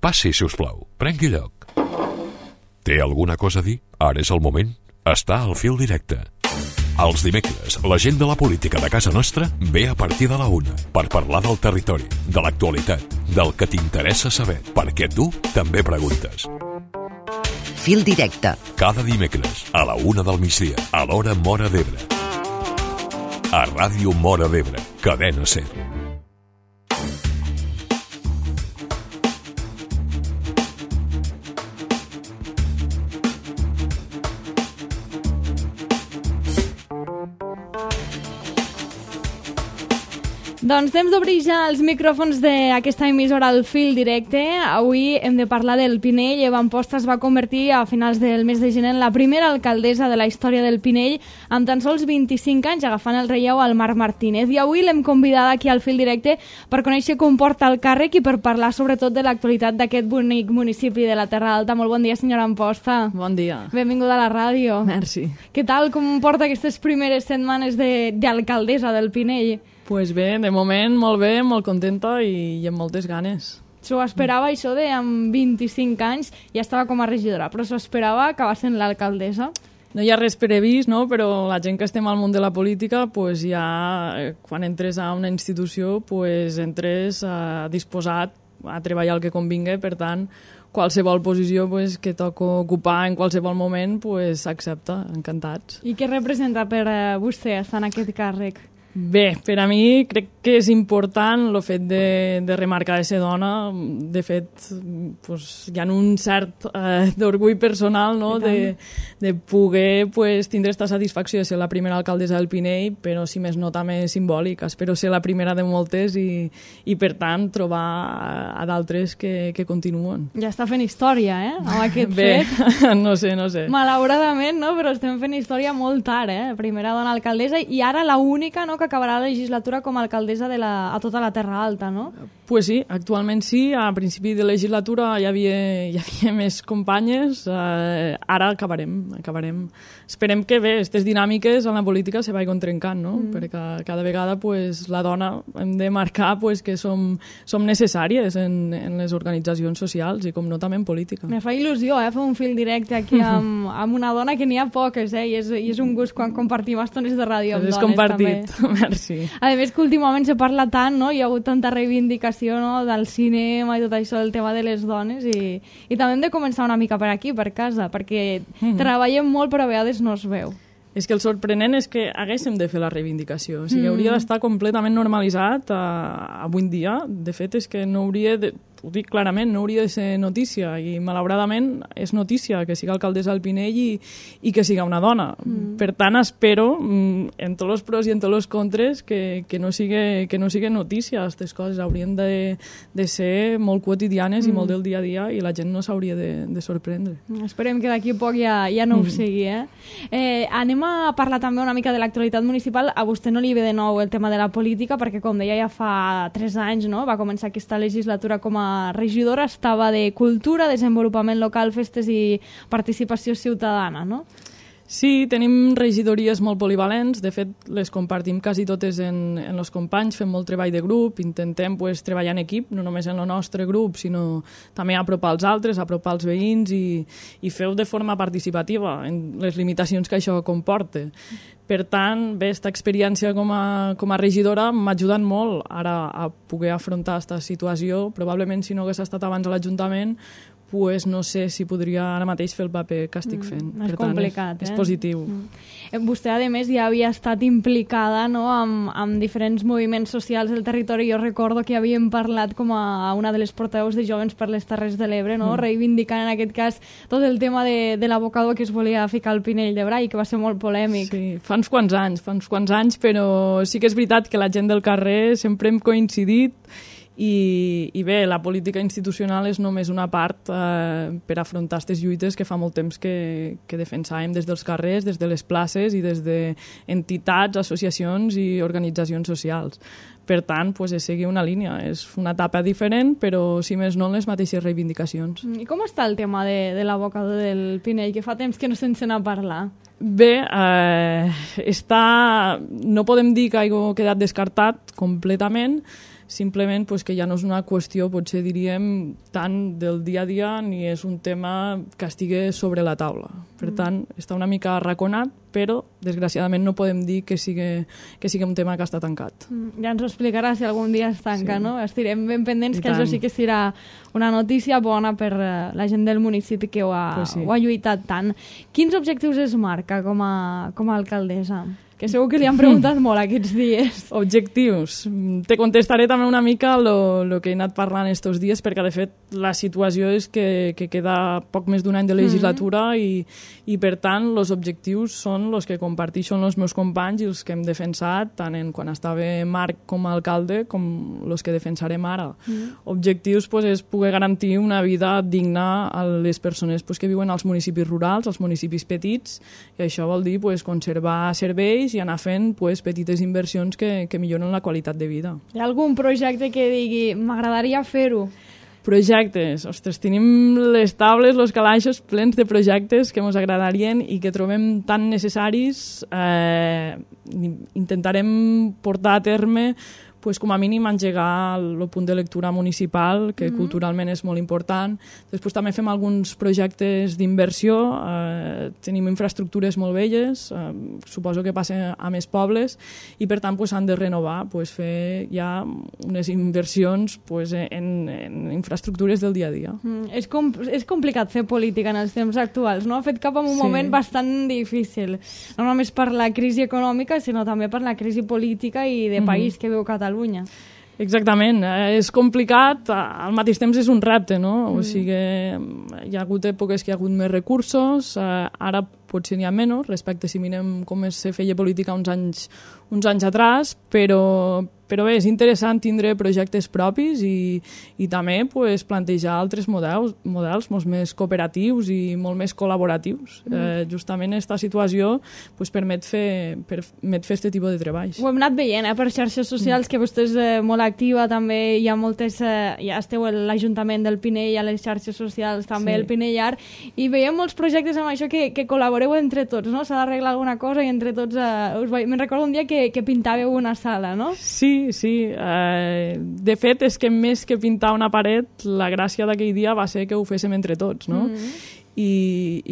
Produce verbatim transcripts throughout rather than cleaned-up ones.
Passi, si us plau. Prengui lloc. Té alguna cosa a dir? Ara és el moment. Està al fil directe. Els dimecres, la gent de la política de casa nostra ve a partir de la una per parlar del territori, de l'actualitat, del que t'interessa saber, perquè tu també preguntes. Fil directe. Cada dimecres, a la una del migdia, a l'hora Móra d'Ebre. A Ràdio Móra d'Ebre, Cadena SER. Doncs temps d'obrir ja els micròfons d'aquesta emissora al fil directe. Avui hem de parlar del Pinell. Eva Amposta es va convertir a finals del mes de gener en la primera alcaldessa de la història del Pinell, amb tan sols vint-i-cinc anys, agafant el relleu al Marc Martínez. I avui l'hem convidada aquí al fil directe per conèixer com porta el càrrec i per parlar sobretot de l'actualitat d'aquest bonic municipi de la Terra Alta. Molt bon dia, senyora Amposta. Bon dia. Benvinguda a la ràdio. Merci. Què tal, com porta aquestes primeres setmanes de, d'alcaldessa del Pinell? Pues bé, de moment molt bé, molt contenta i, i amb moltes ganes. S'ho esperava, això de amb vint-i-cinc anys ja estava com a regidora, però s'ho esperava acabar sent l'alcaldessa? No hi ha res previst, no? Però la gent que estem al món de la política, pues ja, quan entres a una institució, pues entres uh, disposat a treballar el que convingui, per tant, qualsevol posició pues, que toca ocupar en qualsevol moment, pues s'accepta, encantats. I què representa per uh, vostè estar en aquest càrrec? Bé, per a mi crec que és important el fet de, de remarcar de ser dona. De fet, pues, hi ha un cert eh, d'orgull personal, no? de, de poder pues, tindre aquesta satisfacció de ser la primera alcaldessa del Pinell, però si més no també simbòlic. Espero ser la primera de moltes i, i per tant trobar a, a d'altres que, que continuen. Ja està fent història, eh? Amb aquest Bé, fet. no sé, no sé. Malauradament, no? Però estem fent història molt tard, eh? Primera dona alcaldessa i ara la única, no?, que acabarà la legislatura com a alcaldessa de la, a tota la Terra Alta, no? Pues sí, actualment sí. A principi de legislatura hi havia, hi havia més companyes. Eh, ara acabarem, acabarem. Esperem que bé, aquestes dinàmiques en la política se vagin trencant, no? Mm. Perquè cada vegada pues, la dona hem de marcar pues, que som, som necessàries en, en les organitzacions socials i com no també en política. Me fa il·lusió, eh, fer un fil directe aquí amb, amb una dona que n'hi ha poques, eh? I és, i és un gust quan compartim estones de ràdio amb dones, compartit. També. Merci. A més que últimament se parla tant, no? Hi ha hagut tanta reivindicació, no?, del cinema i tot això, del tema de les dones i, i també hem de començar una mica per aquí, per casa, perquè mm. treballem molt però a vegades no es veu. És que el sorprenent és que haguéssim de fer la reivindicació. O sigui, mm. hauria d'estar completament normalitzat uh, avui en dia. De fet, és que no hauria de... Ho dic clarament, no hauria de ser notícia i malauradament és notícia que siga alcaldessa del Pinell i, i que siga una dona. Mm. Per tant, espero, en tots els pros i en tots els contres, que, que, no sigui, que no sigui notícia. Aquestes coses haurien de, de ser molt quotidianes mm. i molt del dia a dia i la gent no s'hauria de, de sorprendre. Esperem que d'aquí a poc ja, ja no ho sigui. Eh? Eh, anem a parlar també una mica de l'actualitat municipal. A vostè no li ve de nou el tema de la política perquè, com deia, ja fa tres anys, no?, va començar aquesta legislatura com a regidora, estava de Cultura, Desenvolupament Local, Festes i Participació Ciutadana, no? Sí, tenim regidories molt polivalents, de fet les compartim quasi totes en, en els companys, fem molt treball de grup, intentem pues, treballar en equip, no només en el nostre grup, sinó també apropar els altres, apropar els veïns i, i fer-ho de forma participativa, en les limitacions que això comporta. Per tant, bé, aquesta experiència com a, com a regidora m'ha ajudat molt ara a poder afrontar aquesta situació. Probablement, si no hagués estat abans a l'Ajuntament, pues no sé si podria ara mateix fer el paper que estic fent. Mm, és per complicat, tant, és, eh? és positiu. Mm. Vostè, a més, ja havia estat implicada, no?, amb, amb diferents moviments socials del territori. Jo recordo que havíem parlat com a una de les portaveus de Jóvens per les Terres de l'Ebre, no?, mm. reivindicant en aquest cas tot el tema de, de l'abocador que es volia ficar al Pinell de Brai, que va ser molt polèmic. Sí, fa uns quants anys, fa uns quants anys, però sí que és veritat que la gent del carrer sempre hem coincidit. I, i bé, la política institucional és només una part eh, per afrontar aquestes lluites que fa molt temps que, que defensàvem des dels carrers, des de les places i des d'entitats, associacions i organitzacions socials. Per tant, pues, és seguir una línia. És una etapa diferent, però, si més no, les mateixes reivindicacions. I com està el tema de, de l'abocador del Pinell, que fa temps que no se'n sent a parlar? Bé, eh, està... no podem dir que hagi quedat descartat completament, simplement pues, que ja no és una qüestió, potser diríem, tant del dia a dia ni és un tema que estigui sobre la taula. Per tant, està una mica arraconat, però desgraciadament no podem dir que sigui, que sigui un tema que està tancat. Ja ens ho explicarà si algun dia es tanca, sí. no? Estirem ben pendents, I que tant. això sí que serà una notícia bona per la gent del municipi que ho ha, pues sí. ho ha lluitat tant. Quins objectius es marca com a, com a alcaldessa? Que segur que li han preguntat molt aquests dies. Objectius. Te contestaré també una mica el que he anat parlant estos dies, perquè de fet la situació és que, que queda poc més d'un any de legislatura mm-hmm. i, i per tant els objectius són els que comparteixen els meus companys i els que hem defensat tant en quan estava Marc com a alcalde com els que defensarem ara. Mm-hmm. Objectius pues, és poder garantir una vida digna a les persones pues, que viuen als municipis rurals, als municipis petits, i això vol dir pues, conservar serveis i anar fent pues, petites inversions que, que milloren la qualitat de vida. Hi ha algun projecte que digui m'agradaria fer-ho? Projectes. Ostres, tenim les taules, els calaixos plens de projectes que ens agradarien i que trobem tan necessaris. Eh, intentarem portar a terme pues, com a mínim engegar el punt de lectura municipal, que mm-hmm. culturalment és molt important. Després també fem alguns projectes d'inversió, eh, tenim infraestructures molt velles, eh, suposo que passa a més pobles, i per tant pues, han de renovar, pues, fer ja unes inversions pues, en, en infraestructures del dia a dia. Mm, és, com, és complicat fer política en els temps actuals, no? Ha fet cap en un sí. moment bastant difícil, no només per la crisi econòmica, sinó també per la crisi política i de mm-hmm. país que viu Catalunya. Exactament, eh, és complicat, al mateix temps és un repte, no? Mm. O sigui, hi ha hagut èpoques que hi ha hagut més recursos, eh, ara potser n'hi ha menys, respecte si mirem com se feia política uns anys, uns anys atràs, però, però bé, és interessant tindre projectes propis i, i també pues, plantejar altres models, models molt més cooperatius i molt més col·laboratius. Mm. Eh, justament aquesta situació pues, permet fer permet fer aquest tipus de treballs. Ho hem anat veient, eh, per xarxes socials, mm. que vostè és eh, molt activa, també hi ha moltes, eh, ja esteu a l'Ajuntament del Pinell, a les xarxes socials, també sí. el Pinellar, i veiem molts projectes amb això que, que col·laboreu entre tots, no? S'ha d'arreglar alguna cosa i entre tots... Eh, us me'n recordo un dia que, que pintàveu una sala, no? Sí, sí. Eh, de fet, és que més que pintar una paret, la gràcia d'aquell dia va ser que ho féssim entre tots, no? Mm-hmm. I,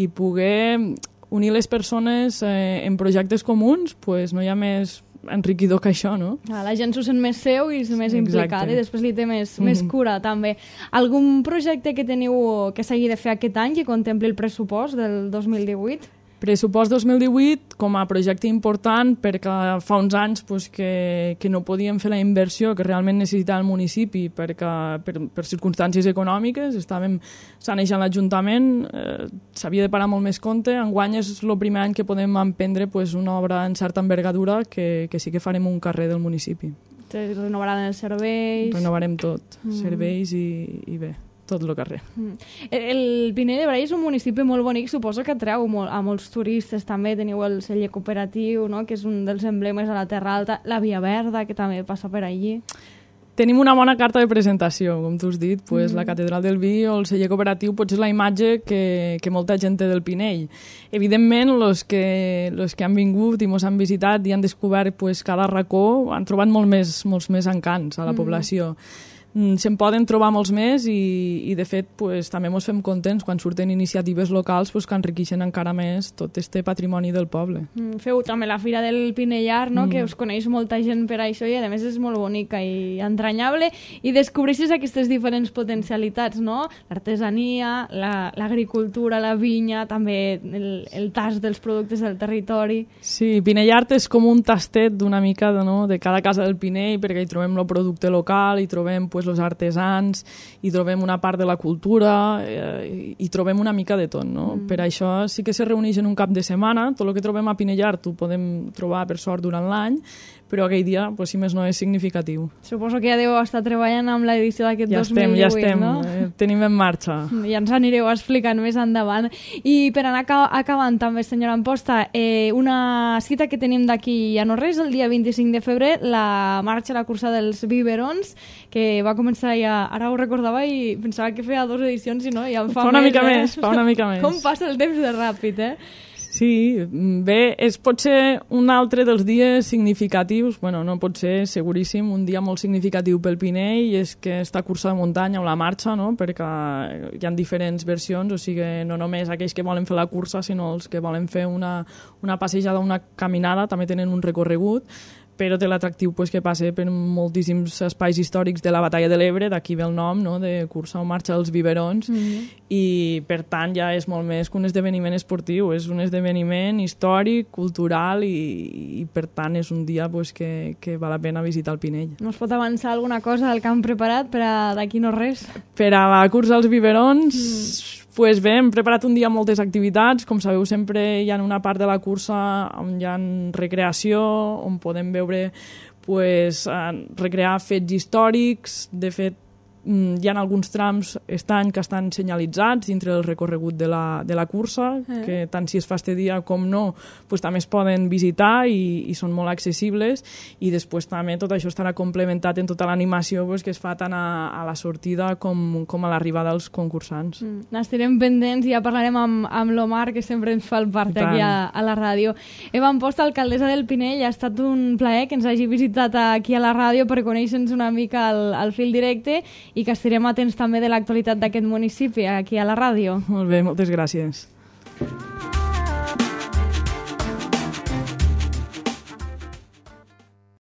i poder unir les persones eh, en projectes comuns, pues no hi ha més enriquidor que això, no? Ah, la gent s'ho sent més seu i és més Exacte. implicada i després li té més, mm-hmm. més cura, també. Algun projecte que teniu que s'hagi de fer aquest any que contempli el pressupost del dos mil divuit? Pressupost dos mil divuit com a projecte important perquè fa uns anys pues, que, que no podíem fer la inversió que realment necessitava el municipi perquè per, per circumstàncies econòmiques estàvem sanejant l'Ajuntament, eh, s'havia de parar molt més compte. Enguany és el primer any que podem emprendre pues, una obra en certa envergadura que, que sí que farem un carrer del municipi. Renovaran els serveis... Renovarem tot, mm. serveis i, i bé. Tot el carrer. Mm. El Pinell de Brai és un municipi molt bonic, suposo que atreu molt, a molts turistes també, teniu el celler cooperatiu, no? Que és un dels emblemes a la Terra Alta, la Via Verda, que també passa per allí. Tenim una bona carta de presentació, com tu has dit, pues, mm. la Catedral del Vi o el celler cooperatiu potser és la imatge que, que molta gent té del Pinell. Evidentment, els que, los que han vingut i ens han visitat i han descobert pues, cada racó han trobat molt més, molts més encants a la mm. població. Se'n poden trobar molts més i, i de fet, pues, també ens fem contents quan surten iniciatives locals pues, que enriqueixen encara més tot este patrimoni del poble. Mm, feu també la Fira del Pinellar, no? Mm. que us coneix molta gent per això i a més és molt bonica i entranyable i descobreixes aquestes diferents potencialitats, no? L'artesania, l'agricultura, la, la vinya, també el, el tast dels productes del territori. Sí, Pinellart és com un tastet d'una mica de, no? de cada casa del Pinell perquè hi trobem el producte local, hi trobem pues, els artesans, hi trobem una part de la cultura, eh, hi trobem una mica de tot, no? Mm. Per això sí que se reuneix en un cap de setmana, tot el que trobem a Pinellart ho podem trobar per sort durant l'any, però aquell dia, pues, si més no, és significatiu. Suposo que ja deu estar treballant amb l'edició d'aquest ja dos mil divuit, ja estem, no? Eh, tenim en marxa. Ja ens anireu explicant més endavant. I per anar acabant també, senyora Amposta, eh, una cita que tenim d'aquí a no res, el dia vint-i-cinc de febrer, la marxa, la cursa dels biberons, que va començar ja, ara ho recordava i pensava que feia dues edicions i no, ja en fa, fa una més, mica eh? més, fa una mica més. Com passa el temps de ràpid, eh? Sí, bé, és potser un altre dels dies significatius, bueno, no pot ser, seguríssim, un dia molt significatiu pel Pinell, és que esta cursa de muntanya o la marxa, no?, perquè hi ha diferents versions, o sigui, no només aquells que volen fer la cursa, sinó els que volen fer una, una passejada, una caminada, també tenen un recorregut, però té l'atractiu pues, que passa per moltíssims espais històrics de la Batalla de l'Ebre, d'aquí ve el nom, no?, de cursa o marxa dels biberons, mm-hmm. i per tant ja és molt més que un esdeveniment esportiu, és un esdeveniment històric, cultural, i, i per tant és un dia pues, que, que val la pena visitar el Pinell. No es pot avançar alguna cosa del que han preparat per a d'aquí no res? Per a la cursa als biberons... Mm. Pues bé, hem preparat un dia moltes activitats. Com sabeu, sempre hi ha una part de la cursa on hi ha recreació, on podem veure, pues, recrear fets històrics. De fet, hi ha alguns trams estan que estan senyalitzats dintre del recorregut de la, de la cursa, eh. que tant si es fa este dia com no, pues, també es poden visitar i, i són molt accessibles, i després també tot això estarà complementat en tota l'animació pues, que es fa tant a, a la sortida com, com a l'arribada dels concursants. Mm. N'estarem pendents i ja parlarem amb, amb l'Omar, que sempre ens fa el part aquí a, a la ràdio. Eva Amposta, alcaldessa del Pinell, ha estat un plaer que ens hagi visitat aquí a la ràdio per conèixer-nos una mica al, al fil directe, i que estarem atents també de l'actualitat d'aquest municipi aquí a la ràdio. Molt bé, moltes gràcies.